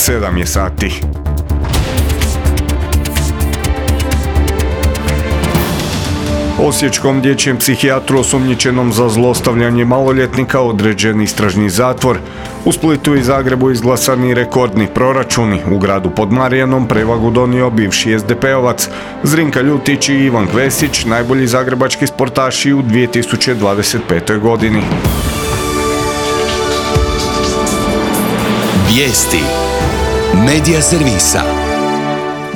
7 je sati. Osječkom dječjem psihijatru osumnjičenom za zlostavljanje maloljetnika određen istražni zatvor. U Splitu i Zagrebu izglasani rekordni proračuni. U gradu pod Marijanom prevagu donio bivši SDP-ovac. Zrinka Ljutić i Ivan Kvesić, najbolji zagrebački sportaši u 2025. godini. Vijesti Medija servisa.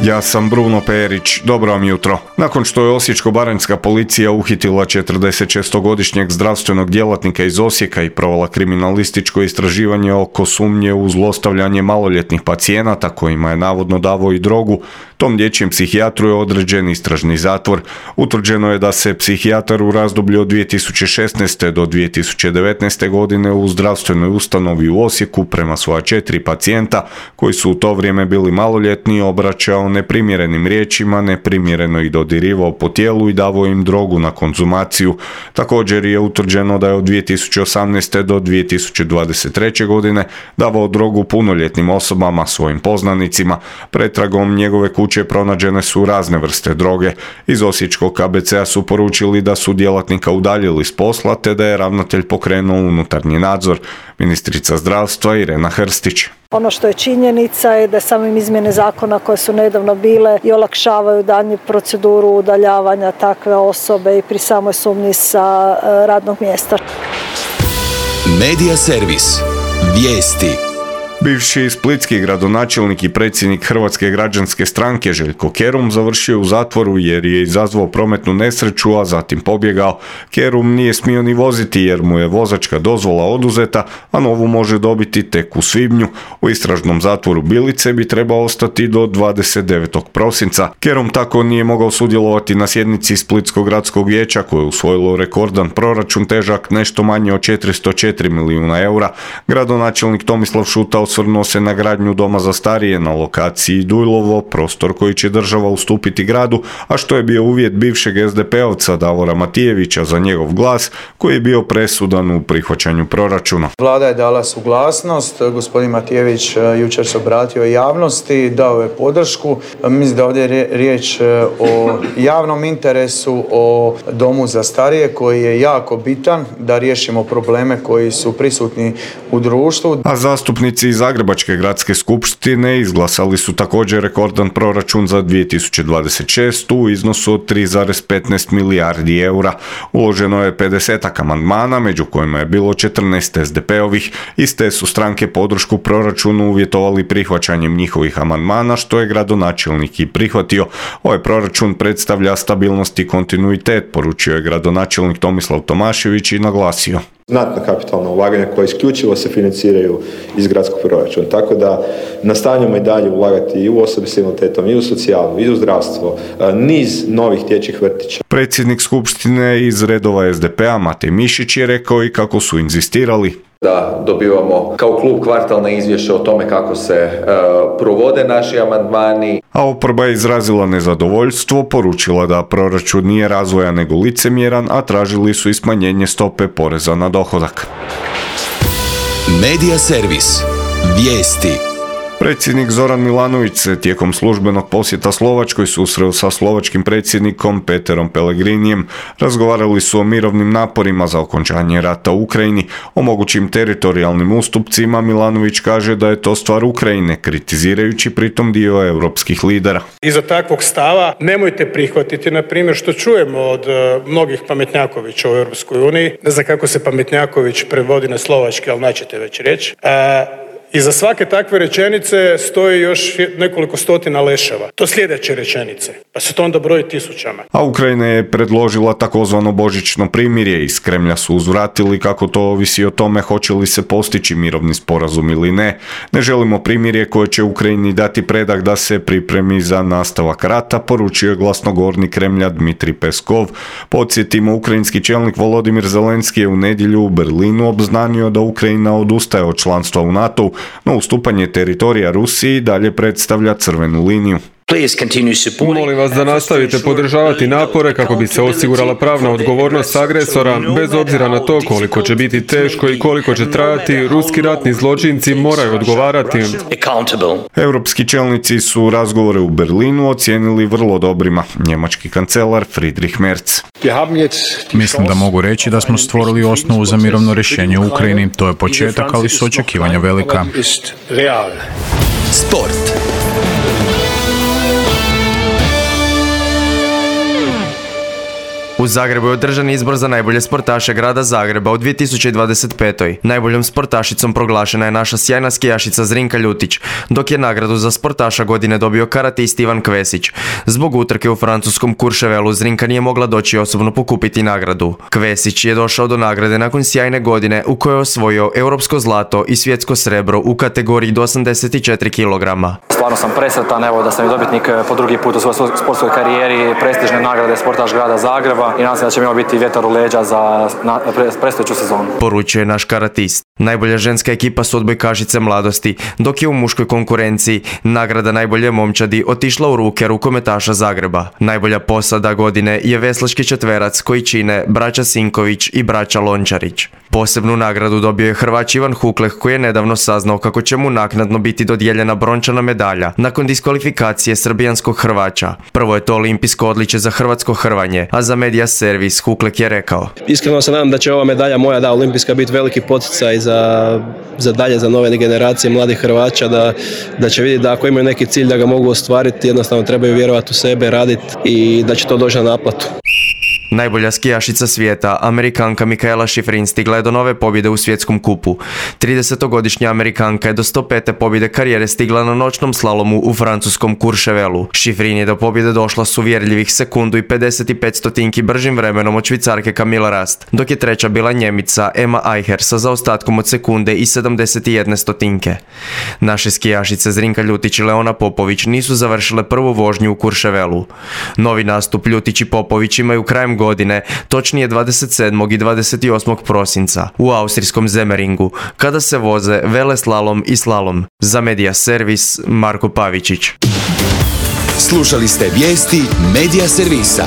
Ja sam Bruno Perić, dobro vam jutro. Nakon što je osječko-baranjska policija uhitila 46-godišnjeg zdravstvenog djelatnika iz Osijeka i provela kriminalističko istraživanje oko sumnje u zlostavljanje maloljetnih pacijenata kojima je navodno davao i drogu, tom dječjem psihijatru je određen istražni zatvor. Utvrđeno je da se psihijatar u razdoblju od 2016. do 2019. godine u zdravstvenoj ustanovi u Osijeku prema svoja 4 pacijenta koji su u to vrijeme bili maloljetni obraćao neprimjerenim riječima, neprimjereno ih dodirivao po tijelu i davao im drogu na konzumaciju. Također je utvrđeno da je od 2018. do 2023. godine davao drogu punoljetnim osobama, svojim poznanicima. Pretragom njegove kuće pronađene su razne vrste droge. Iz osječkog KBC-a su poručili da su djelatnika udaljili s posla te da je ravnatelj pokrenuo unutarnji nadzor. Ministrica zdravstva Irena Hrstić. Ono što je činjenica je da samim izmjene zakona koje su nedavno bile i olakšavaju daljnju proceduru udaljavanja takve osobe i pri samoj sumnji sa radnog mjesta. Medija servis. Vijesti. Bivši splitski gradonačelnik i predsjednik Hrvatske građanske stranke Željko Kerum završio u zatvoru jer je izazvao prometnu nesreću, a zatim pobjegao. Kerum nije smio ni voziti jer mu je vozačka dozvola oduzeta, a novu može dobiti tek u svibnju. U istražnom zatvoru Bilice bi trebao ostati do 29. prosinca. Kerum tako nije mogao sudjelovati na sjednici Splitskog gradskog vijeća koje je usvojilo rekordan proračun težak nešto manje od 404 milijuna eura. Gradonačelnik Tomislav Šuta osvrnuo se na gradnju doma za starije na lokaciji Dujlovo, prostor koji će država ustupiti gradu, a što je bio uvjet bivšeg SDP-ovca Davora Matijevića za njegov glas, koji je bio presudan u prihvaćanju proračuna. Vlada je dala suglasnost, gospodin Matijević jučer se obratio javnosti, dao je podršku. Mislim da ovdje je riječ o javnom interesu, o domu za starije koji je jako bitan da riješimo probleme koji su prisutni u društvu. A zastupnici iz Zagrebačke gradske skupštine izglasali su također rekordan proračun za 2026. u iznosu od 3,15 milijardi eura. Uloženo je 50 amandmana, među kojima je bilo 14 SDP-ovih. Iste su stranke podršku proračunu uvjetovali prihvaćanjem njihovih amandmana, što je gradonačelnik i prihvatio. Ovaj proračun predstavlja stabilnost i kontinuitet, poručio je gradonačelnik Tomislav Tomašević i naglasio. Znatna kapitalna ulaganja koja isključivo se financiraju iz gradskog proračuna. Tako da nastavljamo i dalje ulagati i u osobe s invaliditetom, i u socijalu, i u zdravstvo, niz novih dječjih vrtića. Predsjednik skupštine iz redova SDP-a Matej Mišić je rekao i kako su inzistirali da dobivamo kao klub kvartalne izvješće o tome kako se provode naši amandmani. A oporba je izrazila nezadovoljstvo, poručila da proračun nije razvoja nego licemjeran, a tražili su i smanjenje stope poreza na dohodak. Medija servis. Vijesti. Predsjednik Zoran Milanović se tijekom službenog posjeta Slovačkoj susreo sa slovačkim predsjednikom Peterom Pellegrinijem. Razgovarali su o mirovnim naporima za okončanje rata u Ukrajini, o mogućim teritorijalnim ustupcima. Milanović kaže da je to stvar Ukrajine, kritizirajući pritom dio europskih lidera. Iza takvog stava nemojte prihvatiti, na primjer, što čujemo od mnogih pametnjakovića u Europskoj uniji. Ne znam kako se pametnjaković prevodi na slovački, ali naćete već reći. Iza svake takve rečenice stoji još nekoliko stotina leševa. To sljedeće rečenice, pa se to onda broji tisućama. A Ukrajina je predložila takozvano božićno primirje. Iz Kremlja su uzvratili kako to ovisi o tome hoće li se postići mirovni sporazum ili ne. Ne želimo primirje koje će Ukrajini dati predah da se pripremi za nastavak rata, poručio je glasnogovornik Kremlja Dmitrij Peskov. Podsjetimo, ukrajinski čelnik Volodimir Zelenski je u nedjelju u Berlinu obznanio da Ukrajina odustaje od članstva u NATO-u, no ustupanje teritorija Rusiji dalje predstavlja crvenu liniju. Molim vas da nastavite podržavati napore kako bi se osigurala pravna odgovornost agresora, bez obzira na to koliko će biti teško i koliko će trajati. Ruski ratni zločinci moraju odgovarati. Europski čelnici su razgovore u Berlinu ocijenili vrlo dobrima. Njemački kancelar Friedrich Merz. Mislim da mogu reći da smo stvorili osnovu za mirovno rješenje u Ukrajini. To je početak, ali su očekivanja velika. Sport. U Zagrebu je održan izbor za najbolje sportaše grada Zagreba u 2025. Najboljom sportašicom proglašena je naša sjajna skijašica Zrinka Ljutić, dok je nagradu za sportaša godine dobio karatist Ivan Kvesić. Zbog utrke u francuskom Courchevelu Zrinka nije mogla doći osobno pokupiti nagradu. Kvesić je došao do nagrade nakon sjajne godine u kojoj je osvojio europsko zlato i svjetsko srebro u kategoriji do 84 kg. Stvarno sam presretan da sam i dobitnik po drugi put u svojoj sportskoj karijeri prestižne nagrade sportaš grada Zagreba i nadam se da će mi ovo biti vjetar u leđa za predstojeću sezonu. Poručuje naš karatist. Najbolja ženska ekipa su odbojkašice Mladosti, dok je u muškoj konkurenciji nagrada najbolje momčadi otišla u ruke rukometaša Zagreba. Najbolja posada godine je veslački četverac koji čine braća Sinković i braća Lončarić. Posebnu nagradu dobio je Hrvač Ivan Hukleh koji je nedavno saznao kako će mu naknadno biti dodijeljena brončana medalja nakon diskvalifikacije srbijanskog Hrvača. Prvo je to olimpijsko odličje za hrvatsko hrvanje, a za Media Servis Hukleh je rekao: Iskreno se nadam da će ova medalja moja, olimpijska, biti veliki poticaj za dalje, za nove generacije mladih Hrvača, da će vidjeti da ako imaju neki cilj da ga mogu ostvariti, jednostavno trebaju vjerovati u sebe, raditi i da će to doći na naplatu. Najbolja skijašica svijeta, Amerikanka Mikaela Šifrin, stigla je do nove pobjede u svjetskom kupu. 30-godišnja Amerikanka je do 105. pobjede karijere stigla na noćnom slalomu u francuskom Courchevelu. Šifrin je do pobjede došla s uvjerljivih sekundu i 55 stotinki bržim vremenom od Švicarke Camilla Rast, dok je treća bila Njemica Emma Eicher sa zaostatkom od sekunde i 71 stotinke. Naše skijašice Zrinka Ljutić i Leona Popović nisu završile prvu vožnju u Courchevelu. Novi nastup Ljutić i Popović imaju krajem godine, točnije 27. i 28. prosinca u austrijskom Zemeringu, kada se voze veleslalom i slalom. Za Media Servis Marko Pavičić. Slušali ste vijesti Media Servisa.